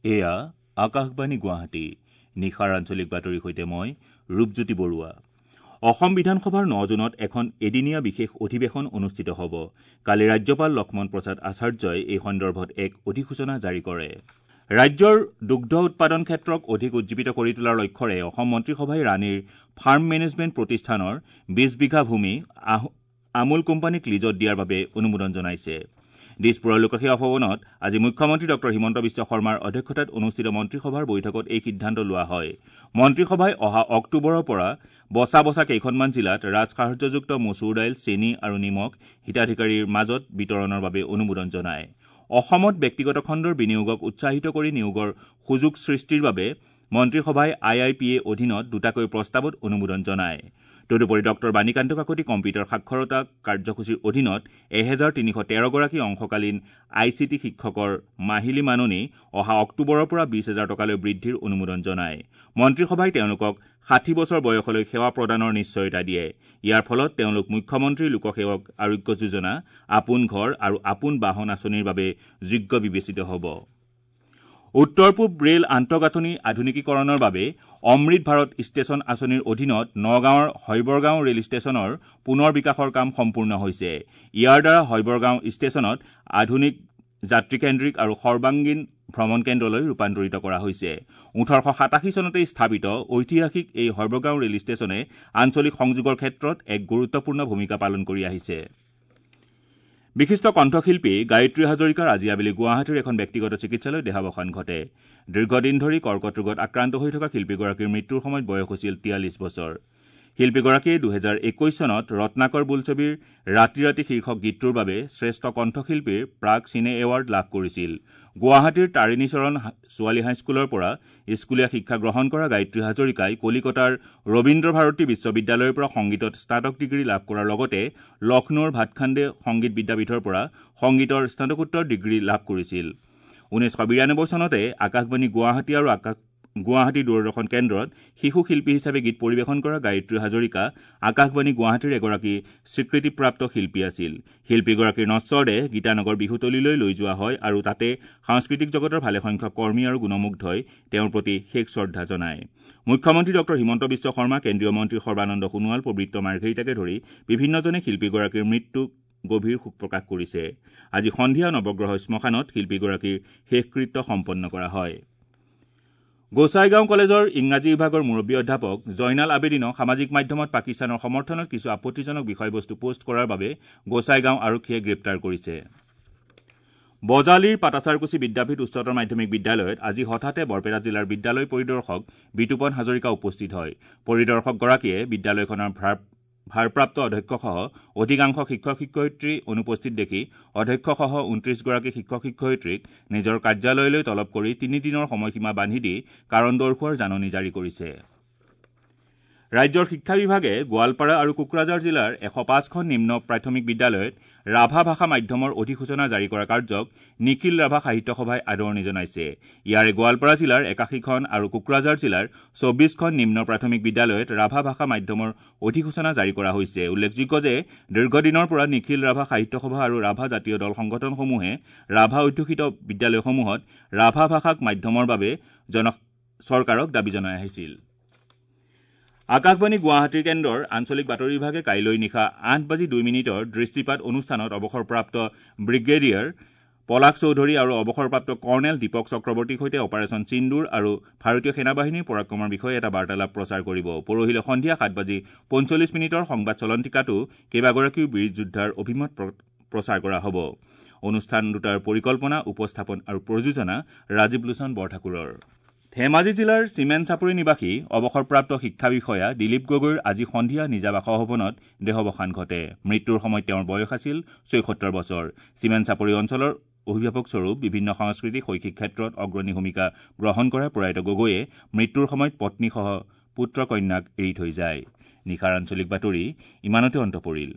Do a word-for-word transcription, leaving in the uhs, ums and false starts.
এয়া আকাশবাণী গুৱাহাটী। নিশাৰ আঞ্চলিক বাতৰিৰ সৈতে মই ৰূপজ্যোতি বৰুৱা। অসম বিধানসভাৰ ন জুনত এখন এদিনীয়া বিশেষ অধিৱেশন অনুষ্ঠিত হ'ব। কালি ৰাজ্যপাল লক্ষ্মণ প্ৰসাদ আচাৰ্যই এই সন্দৰ্ভত এক অধিসূচনা জাৰি কৰে। ৰাজ্যৰ দুগ্ধ উৎপাদন ক্ষেত্ৰক অধিক উজ্জীৱিত কৰি তোলাৰ লক্ষ্যৰে অসম মন্ত্ৰীসভাই ৰাণীৰ ফাৰ্ম মেনেজমেণ্ট প্ৰতিষ্ঠানৰ বিশ বিঘা ভূমি আমুল কোম্পানীক লিজত দিয়াৰ বাবে অনুমোদন জনাইছে। দিছপুৰৰ লোকসেৱা ভৱনত আজি মুখ্যমন্ত্ৰী ডঃ হিমন্ত বিশ্ব শৰ্মাৰ অধ্যক্ষতাত অনুষ্ঠিত মন্ত্ৰীসভাৰ বৈঠকত এই সিদ্ধান্ত লোৱা হয়। মন্ত্ৰীসভাই অহা অক্টোবৰৰ পৰা বচা বচা কেইখনমান জিলাত ৰাজসাহায্যযুক্ত মচুৰ দাইল, চেনী আৰু নিমখ হিতাধিকাৰীৰ মাজত বিতৰণৰ বাবে অনুমোদন জনায়। অসমত ব্যক্তিগত খণ্ডৰ বিনিয়োগক উৎসাহিত কৰি নিয়োগৰ সুযোগ সৃষ্টিৰ বাবে মন্ত্ৰীসভাই আই আই পি এ অধীনত দুটাকৈ প্ৰস্তাৱত অনুমোদন জনায়। তদুপৰি ডঃ বাণীকান্ত কাকতি কম্পিউটাৰ সাক্ষৰতা কাৰ্যসূচীৰ অধীনত এহেজাৰ তিনিশ তেৰগৰাকী অংশকালীন I C T শিক্ষকৰ মাহিলী মাননি অহা অক্টোবৰৰ পৰা বিশ হাজাৰ টকালৈ বৃদ্ধিৰ অনুমোদন জনায়। মন্ত্ৰীসভাই তেওঁলোকক ষাঠি বছৰ বয়সলৈ সেৱা প্ৰদানৰ নিশ্চয়তা দিয়ে। ইয়াৰ ফলত তেওঁলোক মুখ্যমন্ত্ৰী লোকসেৱক আৰোগ্য যোজনা, আপোন ঘৰ আৰু আপোন বাহন আঁচনিৰ বাবে যোগ্য বিবেচিত হ'ব। উত্তৰ পূব ৰেল আন্তঃগাঁথনি আধুনিকীকৰণৰ বাবে অমৃত ভাৰত ষ্টেচন আঁচনিৰ অধীনত নগাঁৱৰ হয়বৰগাঁও ৰেল ষ্টেচনৰ পুনৰ বিকাশৰ কাম সম্পূৰ্ণ হৈছে। ইয়াৰ দ্বাৰা হয়বৰগাঁও ষ্টেচনত আধুনিক যাত্ৰীকেন্দ্ৰিক আৰু সৰ্বাংগীন ভ্ৰমণ কেন্দ্ৰলৈ ৰূপান্তৰিত কৰা হৈছে। ওঠৰশ সাতাশী চনতে স্থাপিত ঐতিহাসিক এই হয়বৰগাঁও ৰেল ষ্টেচনে আঞ্চলিক সংযোগৰ ক্ষেত্ৰত এক গুৰুত্বপূৰ্ণ ভূমিকা পালন কৰি আহিছে। বিশিষ্ট কণ্ঠশিল্পী গায়ত্ৰী হাজৰিকাৰ আজি আবেলি গুৱাহাটীৰ এখন ব্যক্তিগত চিকিৎসালয়ত দেহাৱসান ঘটে। দীৰ্ঘদিন ধৰি কৰ্কট ৰোগত আক্ৰান্ত হৈ থকা শিল্পীগৰাকীৰ মৃত্যুৰ সময়ত বয়স হৈছিল তিয়াল্লিছ বছৰ। শিল্পীগৰাকীয়ে দুহেজাৰ একৈশ চনত ৰত্নাকৰ বোলছবিৰ ৰাতি ৰাতি শীৰ্ষক গীতটোৰ বাবে শ্ৰেষ্ঠ কণ্ঠশিল্পীৰ প্ৰাগ চিনে এৱাৰ্ড লাভ কৰিছিল। গুৱাহাটীৰ তাৰিণীচৰণ ছোৱালী হাইস্কুলৰ পৰা স্কুলীয়া শিক্ষা গ্ৰহণ কৰা গায়ত্ৰী হাজৰিকাই কলিকতাৰ ৰবীন্দ্ৰ ভাৰতী বিশ্ববিদ্যালয়ৰ পৰা সংগীতত স্নাতক ডিগ্ৰী লাভ কৰাৰ লগতে লক্ষ্ণৌৰ ভাটখাণ্ডে সংগীত বিদ্যাপীঠৰ পৰা সংগীতৰ স্নাতকোত্তৰ ডিগ্ৰী লাভ কৰিছিল। ঊনৈছশ বিৰানব্বৈ চনতে আকাশবাণী গুৱাহাটী আৰু আকাশ গুৱাহাটী দূৰদৰ্শন কেন্দ্ৰত শিশু শিল্পী হিচাপে গীত পৰিৱেশন কৰা গায়ত্ৰী হাজৰিকা আকাশবাণী গুৱাহাটীৰ এগৰাকী স্বীকৃতিপ্ৰাপ্ত শিল্পী আছিল। শিল্পীগৰাকীৰ নশ্বৰদেহ গীতানগৰ বিহুতলীলৈ লৈ যোৱা হয় আৰু তাতে সাংস্কৃতিক জগতৰ ভালেসংখ্যক কৰ্মী আৰু গুণমুগ্ধই তেওঁৰ প্ৰতি শেষ শ্ৰদ্ধা জনায়। মুখ্যমন্ত্ৰী ডঃ হিমন্ত বিশ্ব শৰ্মা, কেন্দ্ৰীয় মন্ত্ৰী সৰ্বানন্দ সোণোৱাল, পবিত্ৰ মাৰ্ঘেৰিটাকে ধৰি বিভিন্নজনে শিল্পীগৰাকীৰ মৃত্যুক গভীৰ শোক প্ৰকাশ কৰিছে। আজি সন্ধিয়া নৱগ্ৰহ শ্মশানত শিল্পীগৰাকীৰ শেষকৃত্য সম্পন্ন কৰা হয়। গোসাইগাঁও কলেজৰ ইংৰাজী বিভাগৰ মুৰব্বী অধ্যাপক জয়নাল আবেদিনক সামাজিক মাধ্যমত পাকিস্তানৰ সমৰ্থনত কিছু আপত্তিজনক বিষয়বস্তু পোষ্ট কৰাৰ বাবে গোসাইগাঁও আৰক্ষীয়ে গ্ৰেপ্তাৰ কৰিছে। বজালীৰ পাটাছাৰকুছি বিদ্যাপীঠ উচ্চতৰ মাধ্যমিক বিদ্যালয়ত আজি হঠাতে বৰপেটা জিলাৰ বিদ্যালয় পৰিদৰ্শক বিতুপন হাজৰিকা উপস্থিত হয়। পৰিদৰ্শকগৰাকীয়ে বিদ্যালয়খনৰ ভাৰপ্ৰাপ্ত অধ্যক্ষসহ অধিকাংশ শিক্ষক শিক্ষয়িত্ৰী অনুপস্থিত দেখি অধ্যক্ষসহ ঊনত্ৰিশগৰাকী শিক্ষক শিক্ষয়িত্ৰীক নিজৰ কাৰ্যালয়লৈ তলব কৰি তিনিদিনৰ সময়সীমা বান্ধি দি কাৰণ দৰ্শোৱাৰ জাননী জাৰি কৰিছে। ৰাজ্যৰ শিক্ষা বিভাগে গোৱালপাৰা আৰু কোকৰাঝাৰ জিলাৰ এশ পাঁচখন নিম্ন প্ৰাথমিক বিদ্যালয়ত ৰাভা ভাষা মাধ্যমৰ অধিসূচনা জাৰি কৰা কাৰ্যক নিখিল ৰাভা সাহিত্য সভাই আদৰণি জনাইছে। ইয়াৰে গোৱালপাৰা জিলাৰ একাশীখন আৰু কোকৰাঝাৰ জিলাৰ চৌবিশখন নিম্ন প্ৰাথমিক বিদ্যালয়ত ৰাভা ভাষা মাধ্যমৰ অধিসূচনা জাৰি কৰা হৈছে। উল্লেখযোগ্য যে দীৰ্ঘদিনৰ পৰা নিখিল ৰাভা সাহিত্য সভা আৰু ৰাভা জাতীয় দল সংগঠনসমূহে ৰাভা অধ্যুষিত বিদ্যালয়সমূহত ৰাভা ভাষাক মাধ্যমৰ বাবে জন চৰকাৰক দাবী জনাই আহিছিল। আকাশবাণী গুৱাহাটীৰ কেন্দ্ৰৰ আঞ্চলিক বাতৰি বিভাগে কাইলৈ নিশা আঠ বাজি দুই মিনিটৰ দৃষ্টিপাত অনুষ্ঠানত অৱসৰপ্ৰাপ্ত ব্ৰিগেডিয়াৰ পলাশ চৌধুৰী আৰু অৱসৰপ্ৰাপ্ত কৰ্ণেল দীপক চক্ৰৱৰ্তীৰ সৈতে অপাৰেচন সিন্দুৰ আৰু ভাৰতীয় সেনাবাহিনীৰ পৰাক্ৰমৰ বিষয়ে এটা বাৰ্তালাপ প্ৰচাৰ কৰিব। পৰহিলৈ সন্ধিয়া সাত বাজি পঞ্চল্লিছ মিনিটৰ সংবাদ চলন্তিকাতো কেইবাগৰাকীও বীৰ যোদ্ধাৰ অভিমত প্ৰচাৰ কৰা হ'ব। অনুষ্ঠান দুটাৰ পৰিকল্পনা, উপস্থাপন আৰু প্ৰযোজনা ৰাজীৱ লোচন বৰঠাকুৰৰ। ধেমাজি জিলাৰ চিমেন চাপৰি নিবাসী অৱসৰপ্ৰাপ্ত শিক্ষা বিষয়া দিলীপ গগৈৰ আজি সন্ধিয়া নিজা বাসভৱনত দেহাৱসান ঘটে। মৃত্যুৰ সময়ত তেওঁৰ বয়স আছিল ছয়সত্তৰ বছৰ। চিমেন চাপৰি অঞ্চলৰ অভিভাৱকস্বৰূপ বিভিন্ন সাংস্কৃতিক শৈক্ষিক ক্ষেত্ৰত অগ্ৰণী ভূমিকা গ্ৰহণ কৰা প্ৰয়াত গগৈয়ে মৃত্যুৰ সময়ত পত্নীসহ পুত্ৰ কন্যাক এৰি থৈ যায়। নিশাৰ আঞ্চলিক বাতৰি ইমানতে অন্ত পৰিল।